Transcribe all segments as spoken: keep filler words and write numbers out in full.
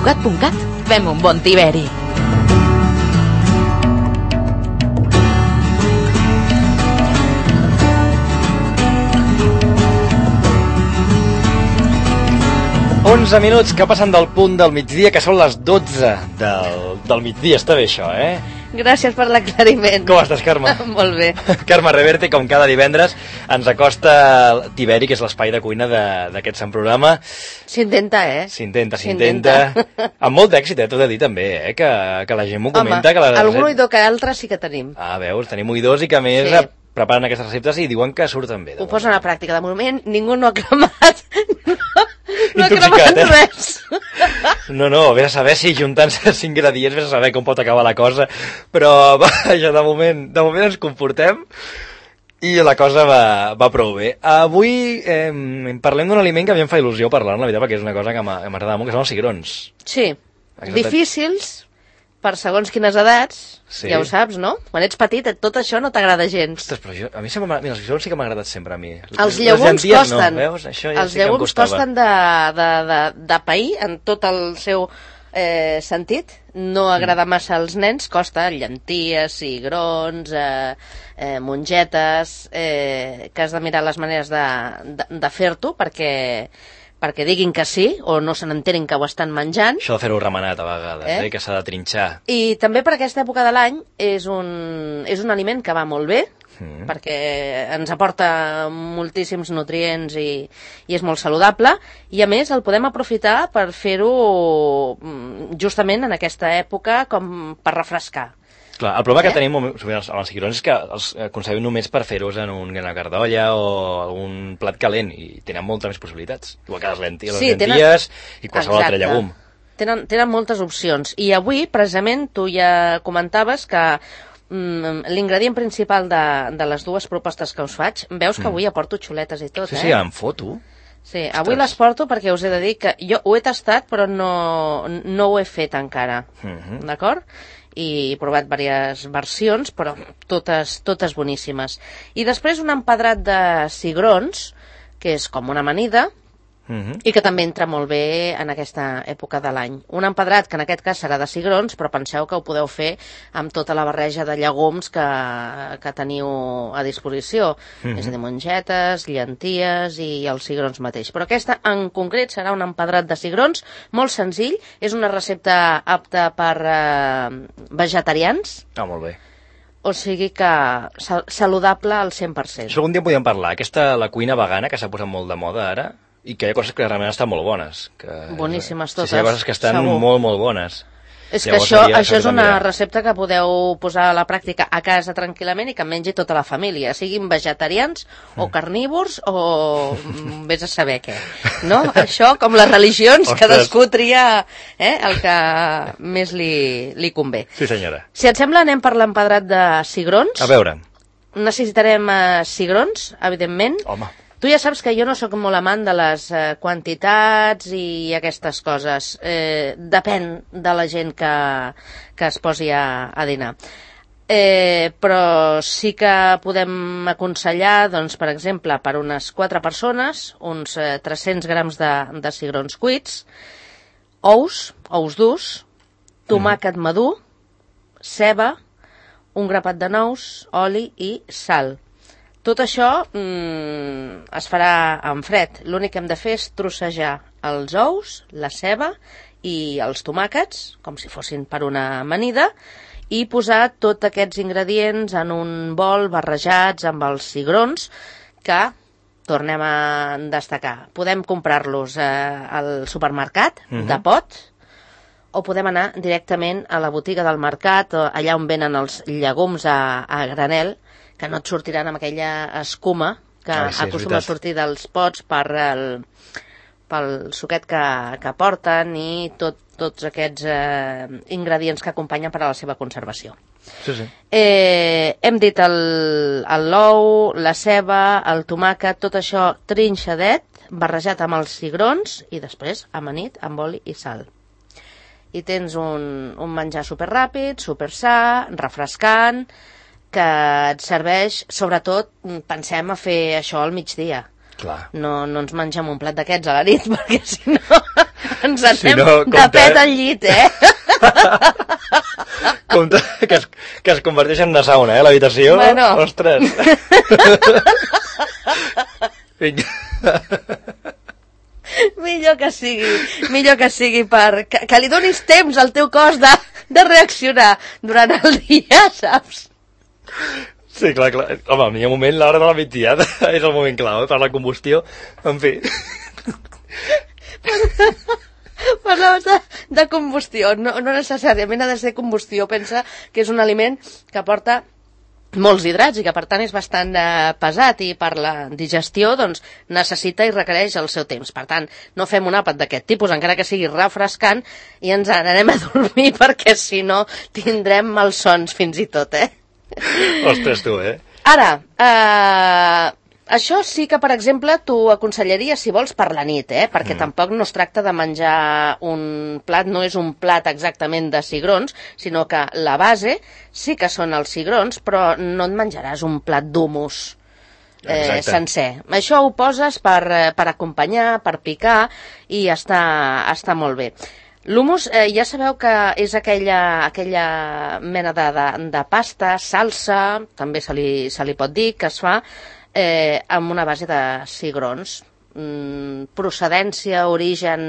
Rugat punt cat. Fem un bon tiberi. onze minuts que passen del punt del migdia, que són les dotze del, del migdia. Està bé això, eh? Gràcies per l'aclariment. Com estàs, Carme? Molt bé. Carme Reverte, com cada divendres, ens acosta Tiberi, que és l'espai de cuina d'aquest sant programa. S'intenta, eh? S'intenta, s'intenta. Amb molt d'èxit, eh? T'ho he de dir també, eh? Que, que la gent m'ho comenta. Home, que la... algun oïdor que altre sí que tenim. Ah, veus, tenim oïdors i que a més sí. preparen aquestes receptes i diuen que surten bé. Ho posen a pràctica. De moment ningú no ha cremat... No ha Intoxicat, cremat eh? res. No, no, vés a saber si juntant-se els ingredients vés a saber com pot acabar la cosa, però vaja, de moment, de moment ens comportem i la cosa va, va prou bé. Avui eh, parlem d'un aliment que a mi em fa il·lusió parlar, la veritat, perquè és una cosa que m'agrada molt, que són els cigrons. Sí, exacte. Difícils per segons quines edats, sí. Ja ho saps, no? Quan ets petit tot això no t'agrada gens. Ostres, però jo, a mi sempre, mira, els cigrons sí que m'ha agradat sempre a mi. Els llegums costen, no, veus? Això ja els sí que llegums costen de, de, de, de pair en tot el seu eh, sentit. No agrada massa als nens, costa llenties, cigrons, eh, eh, mongetes, eh, que has de mirar les maneres de, de, de fer-t'ho perquè... perquè diguin que sí, o no se n'enterin que ho estan menjant. Això de fer-ho remenat a vegades, eh? Eh? Que s'ha de trinxar. I també per aquesta època de l'any és un, és un aliment que va molt bé, mm. perquè ens aporta moltíssims nutrients i, i és molt saludable, i a més el podem aprofitar per fer-ho justament en aquesta època com per refrescar. Clar, el problema eh? que tenim amb els cigrons és que els concebem només per fer-los en una cardolla o algun plat calent i tenen moltes més possibilitats. Igual que les lenties, sí, les lenties tenen... i qualsevol Exacte. Altre llegum. Tenen, tenen moltes opcions. I avui, precisament, tu ja comentaves que mm, l'ingredient principal de, de les dues propostes que us faig, veus que avui aporto xuletes i tot, sí, eh? Sí, sí, em foto. Sí, avui les porto perquè us he de dir que jo ho he tastat però no, no ho he fet encara, uh-huh. D'acord? I he provat diverses versions, però totes, totes boníssimes. I després un empadrat de cigrons, que és com una amanida, uh-huh. i que també entra molt bé en aquesta època de l'any. Un empedrat que en aquest cas serà de cigrons, però penseu que ho podeu fer amb tota la barreja de llegums que, que teniu a disposició. Uh-huh. És a dir, mongetes, llenties i els cigrons mateix. Però aquesta en concret serà un empedrat de cigrons, molt senzill, és una recepta apta per eh, vegetarians. Ah, molt bé. O sigui que sal saludable al cent per cent. Això algun dia podríem parlar. Aquesta, la cuina vegana, que s'ha posat molt de moda ara, i que hi ha coses que realment estan molt bones. Que, boníssimes totes. Sí, sí, hi ha coses que estan segur. molt, molt bones. És que això, això és una recepta que podeu posar a la pràctica a casa tranquil·lament i que mengi tota la família, siguin vegetarians o carnívors o vés a saber què. No? Això, com les religions, Ostres. Cadascú tria eh, el que més li, li convé. Sí, senyora. Si et sembla, anem per l'empedrat de cigrons. A veure. Necessitarem eh, cigrons, evidentment. Home. Tu ja saps que jo no sóc molt amant de les eh, quantitats i aquestes coses. Eh, depèn de la gent que, que es posi a, a dinar. Eh, però sí que podem aconsellar, doncs, per exemple, per unes quatre persones, uns eh, tres-cents grams de, de cigrons cuits, ous, ous durs, tomàquet mm. madur, ceba, un grapat de nous, oli i sal. Tot això mm, es farà en fred. L'únic que hem de fer és trossejar els ous, la ceba i els tomàquets, com si fossin per una amanida, i posar tots aquests ingredients en un bol barrejats amb els cigrons que tornem a destacar. Podem comprar-los eh, al supermercat, uh-huh. de pot, o podem anar directament a la botiga del mercat, allà on venen els llegums a, a granel, que no et sortiran amb aquella escuma que Ai, sí, acostuma a sortir dels pots per el, pel suquet que, que porten i tot, tots aquests eh, ingredients que acompanyen per a la seva conservació. Sí, sí. Eh, hem dit l'ou, la ceba, el tomàquet, tot això trinxadet, barrejat amb els cigrons i després amanit amb oli i sal. I tens un, un menjar superràpid, supersà, refrescant, que et serveix, sobretot, pensem a fer això al migdia. Clar. No, no ens mengem un plat d'aquests a la nit, perquè si no ens anem Si no, de compte, pet eh? al llit, eh? Compte que es, que es converteix en una sauna, eh, l'habitació. Bueno. Ostres. Vinga. Millor que sigui, millor que sigui per... Que, que li donis temps al teu cos de, de reaccionar durant el dia, saps? Sí, clar, clar. Home, el millor moment, l'hora de la migdiada, és el moment clau, eh, per la combustió. En fi. Parlaves de, de combustió, no, no necessàriament ha de ser combustió, pensa que és un aliment que porta molts hidrats i que per tant és bastant eh, pesat i per la digestió doncs necessita i requereix el seu temps. Per tant, no fem un àpat d'aquest tipus, encara que sigui refrescant, i ens n'anem a dormir perquè si no tindrem malsons fins i tot, eh? Ostres, tu, eh? Ara, eh, això sí que, per exemple, t'ho aconsellaria si vols per la nit, eh? Perquè mm. tampoc no es tracta de menjar un plat, no és un plat exactament de cigrons, sinó que la base sí que són els cigrons, però no et menjaràs un plat d'humus eh, sencer. Això ho poses per, per acompanyar, per picar, i està, està molt bé. L'humus, eh, ja sabeu que és aquella, aquella mena de, de, de pasta, salsa, també se li, se li pot dir, que es fa eh, amb una base de cigrons. Mm, procedència, origen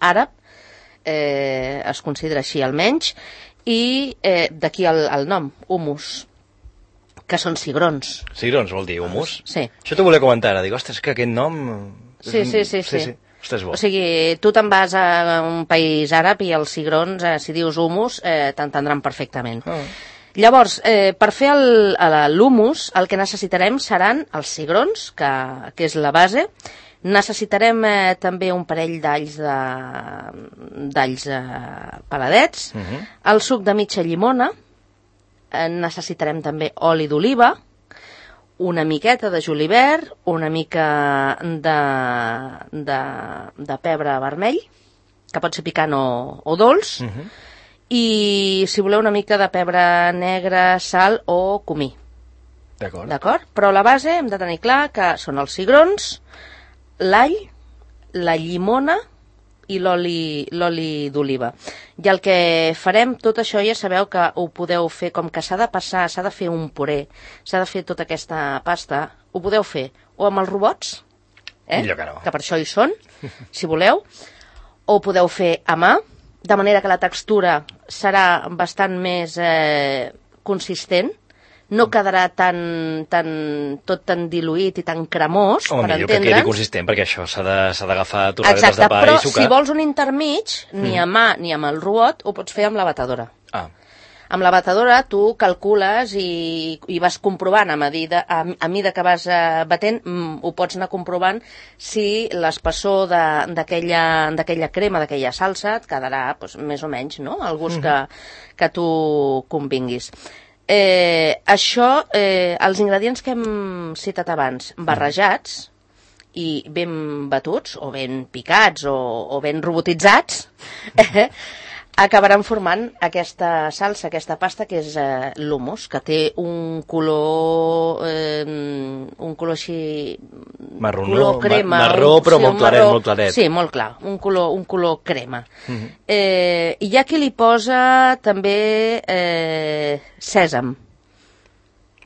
àrab, eh, es considera així almenys, i eh, d'aquí el, el nom, humus, que són cigrons. Cigrons vol dir humus? Sí. Això t'ho volia comentar ara, dic, ostres, que aquest nom... Sí, sí, sí, sí. sí, sí. Ostres, bo. O sigui, tu te'n vas a un país àrab i els cigrons, eh, si dius humus, eh, t'entendran perfectament. Oh. Llavors, eh, per fer l'humus, el, el que necessitarem seran els cigrons, que, que és la base. Necessitarem eh, també un parell d'alls de, d'alls eh, peladets, uh -huh. el suc de mitja llimona, eh, necessitarem també oli d'oliva, una miqueta de julivert, una mica de, de, de pebre vermell, que pot ser picant o, o dolç, uh -huh. i si voleu una mica de pebre negre, sal o comí. D'acord. D'acord? Però la base hem de tenir clar que són els cigrons, l'all, la llimona i l'oli l'oli d'oliva. I el que farem, tot això ja sabeu que ho podeu fer, com que s'ha de passar, s'ha de fer un puré, s'ha de fer tota aquesta pasta, ho podeu fer o amb els robots, eh? Millor que no. Que per això hi són, si voleu, o ho podeu fer a mà, de manera que la textura serà bastant més eh, consistent, no quedarà tan, tan, tot tan diluït i tan cremós, o per millor entendre'ns. que quedi consistent, perquè això s'ha d'agafar torradetes Exacte, de pa però i sucar. si vols un intermig, ni Mm. a mà ni amb el robot, ho pots fer amb la batedora. Ah. Amb la batedora tu calcules i, i vas comprovant a medida, a, a mida que vas eh, batent, mm, ho pots anar comprovant si l'espessor d'aquella d'aquella crema, d'aquella salsa, et quedarà doncs, més o menys, no?, el gust mm-hmm. que, que tu convinguis. Eh, això, eh, els ingredients que hem citat abans, barrejats i ben batuts, o ben picats, o, o ben robotitzats, eh, acabaran formant aquesta salsa, aquesta pasta, que és eh, l'humus, que té un color, eh, un color així... Marronó, color crema, ma marró, un, però sí, molt claret, marró, molt claret. Sí, molt clar, un color, un color crema. Mm-hmm. eh, I hi ha qui li posa també eh, sèsam.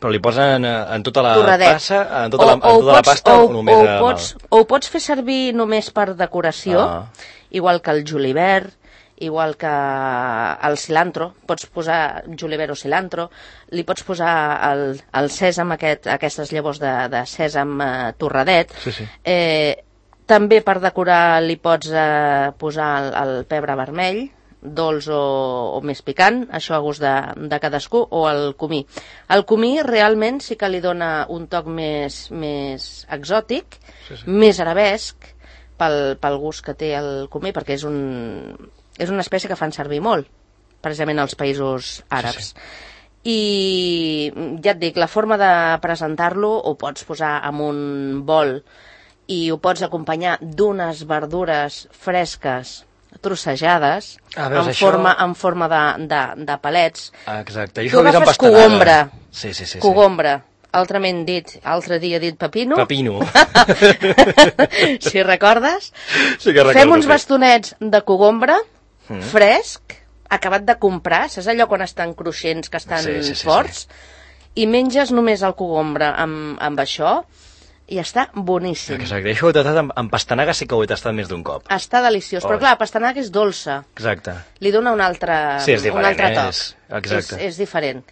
Però li posen en tota la Torradet. passa, en tota, la, en o, o tota la pots, pasta o, o només o, a pots, o ho pots fer servir només per decoració, Ah. igual que el julivert, igual que el cilantro, pots posar julivert o cilantro, li pots posar el, el sèsam, aquest, aquestes llavors de, de sèsam eh, torradet. Sí, sí. Eh, també per decorar li pots eh, posar el, el pebre vermell, dolç o, o més picant, això a gust de, de cadascú, o el comí. El comí realment sí que li dona un toc més, més exòtic, Sí, sí. més arabesc, pel, pel gust que té el comí, perquè és, un, és una espècie que fan servir molt, precisament als països àrabs. Sí, sí. I ja et dic, la forma de presentar-lo ho pots posar en un bol i ho pots acompanyar d'unes verdures fresques trossejades, Ah, veus, en, això- forma, en forma de, de, de palets. Ah, exacte. Tu Jo ho he vist en agafes pastanaga. cogombra, Sí, sí, sí. sí. cogombra, altrament dit, altre dia dit pepino. Pepino. Si recordes. Sí que recordo. Fem uns bastonets de cogombre, mm. fresc, acabat de comprar, saps allò quan estan cruixents, que estan sí, sí, sí, forts? Sí. I menges només el cogombre amb, amb això, i està boníssim. Exacte, això ho he tastat amb, amb pastanaga, sí que ho he tastat més d'un cop. Està deliciós, oh. però clar, la pastanaga és dolça. Exacte. Li dona un altre, sí, és diferent, un altre toc. És, exacte. És, és diferent.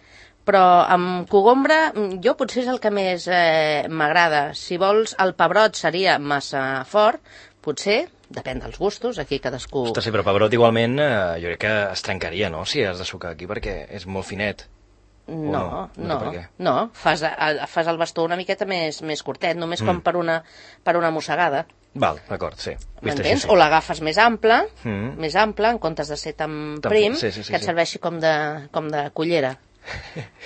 Però amb cogombre, jo potser és el que més eh, m'agrada. Si vols, el pebrot seria massa fort, potser, depèn dels gustos, aquí cadascú... Ostres, sí, però pebrot igualment eh, jo crec que es trencaria, no?, si has de sucar aquí, perquè és molt finet. No, no, no, no, no. Fas, fas el bastó una miqueta més, més curtet, només mm. com per una, per una mossegada. Val, d'acord, sí. M'entens? Sí. O l'agafes més ample, mm. més ample, en comptes de ser tan prim, sí, sí, sí, que et serveixi com de, com de cullera.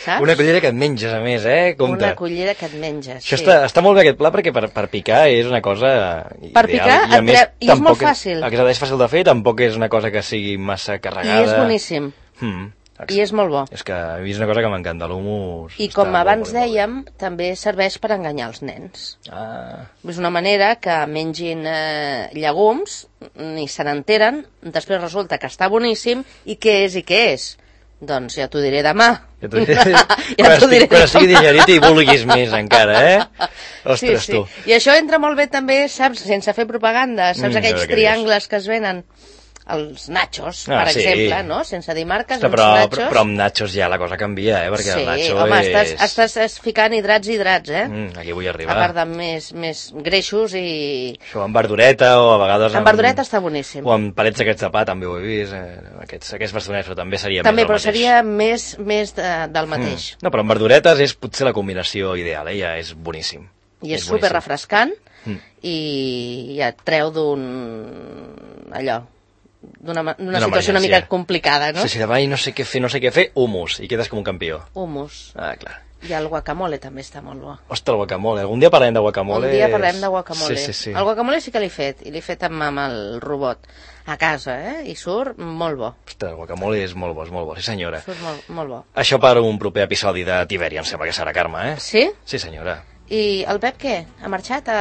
Saps? Una cullera que et menges, a més, eh? Compte. Una cullera que et menges, Això sí. està, està molt bé aquest pla, perquè per, per picar és una cosa per ideal. picar, I, a més, i és molt fàcil. És, és fàcil de fer, tampoc és una cosa que sigui massa carregada. I és boníssim. Mm. I és molt bo. És que a mi és una cosa que m'encanta, l'humus... I com abans dèiem, també serveix per enganyar els nens. Ah. És una manera que mengin eh, llegums, ni se n'enteren, després resulta que està boníssim, i què és i què és? Doncs ja t'ho diré demà. Ja t'ho diré, ja quan, diré quan estigui digerit i vulguis més encara, eh? Ostres, sí, sí. tu. I això entra molt bé també, saps, sense fer propaganda, saps mm, aquells triangles que es venen... els nachos, ah, per sí. exemple, no? Sense dir marques, Ostres, uns però, nachos... Però, però amb nachos ja la cosa canvia, eh? Perquè sí, el nacho home, és... estàs, estàs ficant hidrats i hidrats, eh? Mm, aquí vull arribar. A part de més, més greixos i... Això amb verdureta o a vegades... Amb, amb verdureta està boníssim. O amb palets aquests de pa, també ho he vist, eh? aquests, aquests bastonets, però també seria també, més però del mateix. seria més, més de, del mateix. Mm. No, però amb verduretes és potser la combinació ideal, eh? Ja és boníssim. I és, és super refrescant mm. i ja et treu d'un... allò... d'una situació emergència. Una mica complicada, no? Sí, sí, davall no sé què fer, no sé què fer, humus, i quedes com un campió. Humus. Ah, clar. I el guacamole també està molt bo. Ostres, el guacamole. Algun dia parlem de guacamole. Un dia parlem de guacamole. Sí, sí, sí. El guacamole sí que l'he fet, i l'he fet amb, amb el robot a casa, eh? I surt molt bo. Ostres, el guacamole és molt bo, és molt bo, sí senyora. Surt molt, molt bo. Això per un proper episodi de Tibèria, em sembla que serà, Carme, eh? Sí? Sí, senyora. I el Pep què? Ha marxat a,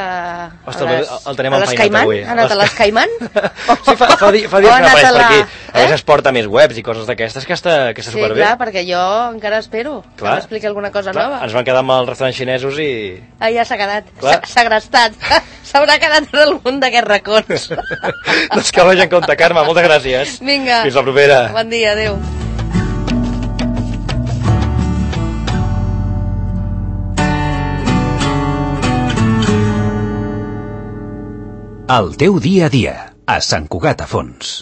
Ostres, a les, el tenim a les Caiman? avui. Ha anat a les Caiman? Sí, fa, fa, di, fa dies que no apareix per aquí. A eh? vegades es porta més webs i coses d'aquestes, que està, que està sí, superbé. Sí, clar, perquè jo encara espero clar, que m'expliqui alguna cosa clar, nova. Ens van quedar amb els restaurants xinesos i... Ah, ja s'ha quedat, s'ha segrestat. S'haurà quedat en algun d'aquests racons. Doncs que vagi en compte, Carme, moltes gràcies. Vinga. Fins la propera. Bon dia, adéu. El teu dia a dia, a Sant Cugat a Fons.